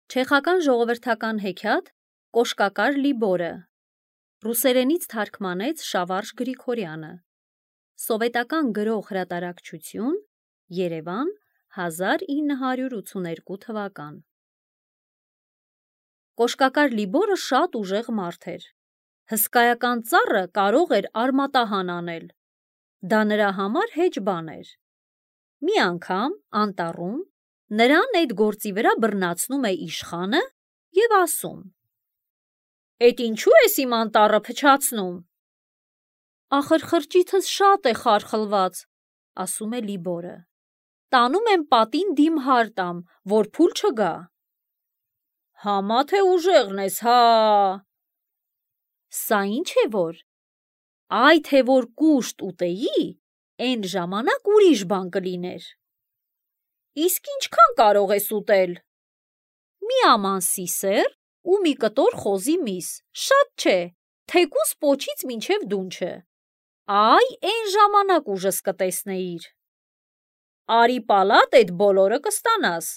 Չեխական ժողովրդական հեքիաթ Կոշկակար Լիբորը ռուսերենից թարգմանեց Շավարժ Գրիգորյանը Սովետական գրող հրատարակչություն Երևան 1982 թվական Կոշկակար Լիբորը շատ ուժեղ մարդ էր հսկայական ծառը կարող էր արմատահան անել դա նրա համար հեչ բան էր մի անգամ անտառում նրան այդ գործի վրա բռնացնում է իշխանը և ասում «Էդ ինչու ես իմ անտառը փչացնում»։ «Ախր խրճիթս շատ է խարխլված», ասում է Լիբորը, «տանում եմ պատին դիմհար տամ, որ փուլ չգա»։ «Համա թե ուժեղն ես, հա»։ Սա ինչ է որ, այ թե որ կուշտ ուտեի, էն ժամանակ ուրիշ բան կլիներ։ Իսկ ինչքան կարող ես ուտել։ Մի աման սիսեռ ու մի կտոր խոզի միս, շատ չէ, թեկուզ պոչից մինչև դունչը, այ էն ժամանակ ուժս կտեսնեիր։ Արի պալատ էդ բոլորը կստանաս,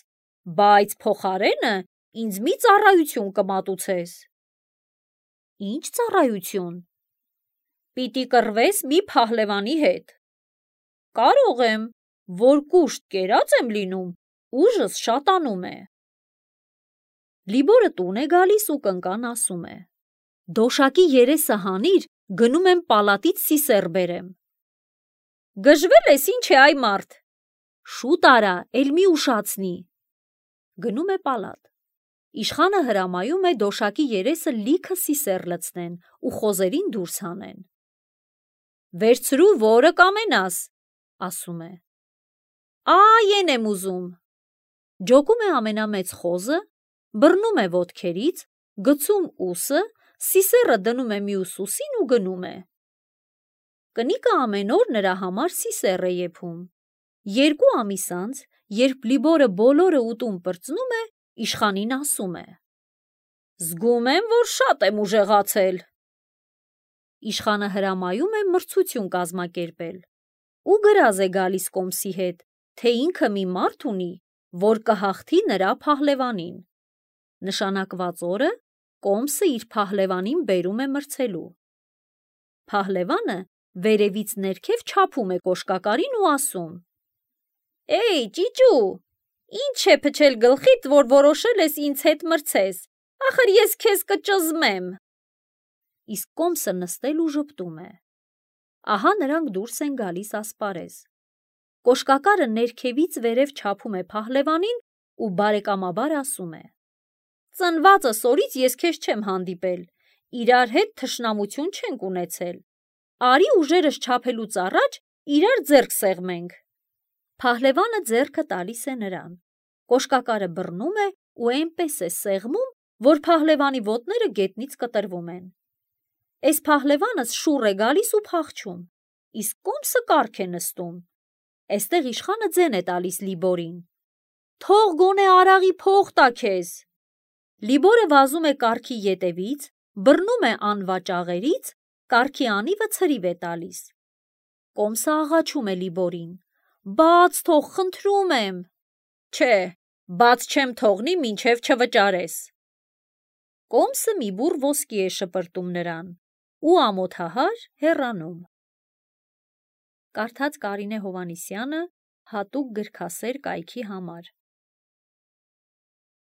բայց փոխարենը ինձ մի ծառայություն կմատուցես։ Ինչ ծառայություն։ Պիտի կռվես մի փահլևանի հետ։ Կարող եմ, որ կուշտ կերած եմ լինում, ուժս շատանում է։ Լիբորը տուն է գալիս ու կնկան ասում է. «Դոշակի երեսը հանիր, գնում եմ պալատից սիսեռ բերեմ»։ Գժվել ես ինչ է այ մարդ։ Շուտ արա, էլ մի ուշացնի։ Գնում է պալատ։ Իշխանը հրամայում է դոշակի երեսը լիքը սիսեռ լցնեն ու խոզերին դուրս հանեն։ Վերցրու որը կամենաս, ասում է։ Այ էն եմ ուզում։ Ջոկում է ամենամեծ խոզը, բռնում է ոտքերից, գցում ուսը, սիսեռը դնում է մյուս ուսին ու գնում է։ Կնիկը ամեն օր նրա համար սիսեռ է եփում։ 2 ամիս անց, երբ Լիբորը բոլորը ուտում պրծնում է, իշխանին ասում է. «Զգում եմ, որ շատ եմ ուժեղացել»։ Իշխանը հրամայում է մրցություն կազմակերպել ու գրազ է գալիս կոմսի հետ, թե ինքը մի մարդ ունի, որ կհաղթի նրա փահլևանին։ Նշանակված օրը կոմսը իր փահլևանին բերում է մրցելու։ Փահլևանը վերևից ներքև չափում է կոշկակարին ու ասում. «Էй, ճիճու, ինչ է փչել գլխիդ, որ որոշել ես ինձ հետ մրցես, ախր ես քեզ կճզմեմ»։ Իսկ կոմսը նստել ու ժպտում է։ Ահա նրանք դուրս են գալիս ասպարեզ։ Կոշկակարը ներքևից վերև չափում է փահլևանին ու բարեկամաբար ասում է. «Ծնվածս օրից ես քեզ չեմ հանդիպել, իրար հետ թշնամություն չենք ունեցել, արի ուժերս չափելուց առաջ իրար ձեռք սեղմենք»։ Փահլևանը ձեռքը տալիս է նրան։ Կոշկակարը բռնում է ու այնպես է սեղմում, որ փահլևանի ոտները գետնից կտրվում են։ Էս փահլևանս շուռ է գալիս ու փախչում, իսկ կոմսը կառք է նստում։ Էստեղ իշխանը ձեն է տալիս Լիբորին. «Թող գոնե արաղի փող տա քեզ»։ Լիբորը վազում է կառքի ետևից, բռնում է անվաճ աղերից, կառքի անիվը ցրիվ է տալիս։ Կոմսը աղաչում է Լիբորին. «Բաց թող, խնդրում եմ»։ Չէ, բաց չեմ թողնի, մինչև չվճարես։ Կոմսը մի բուռ ոսկի է շպրտում նրան ու ամոթահար հեռանում։ Կարդաց Կարինե Հովհաննիսյանը հատուկ գրքասեր կայքի համար։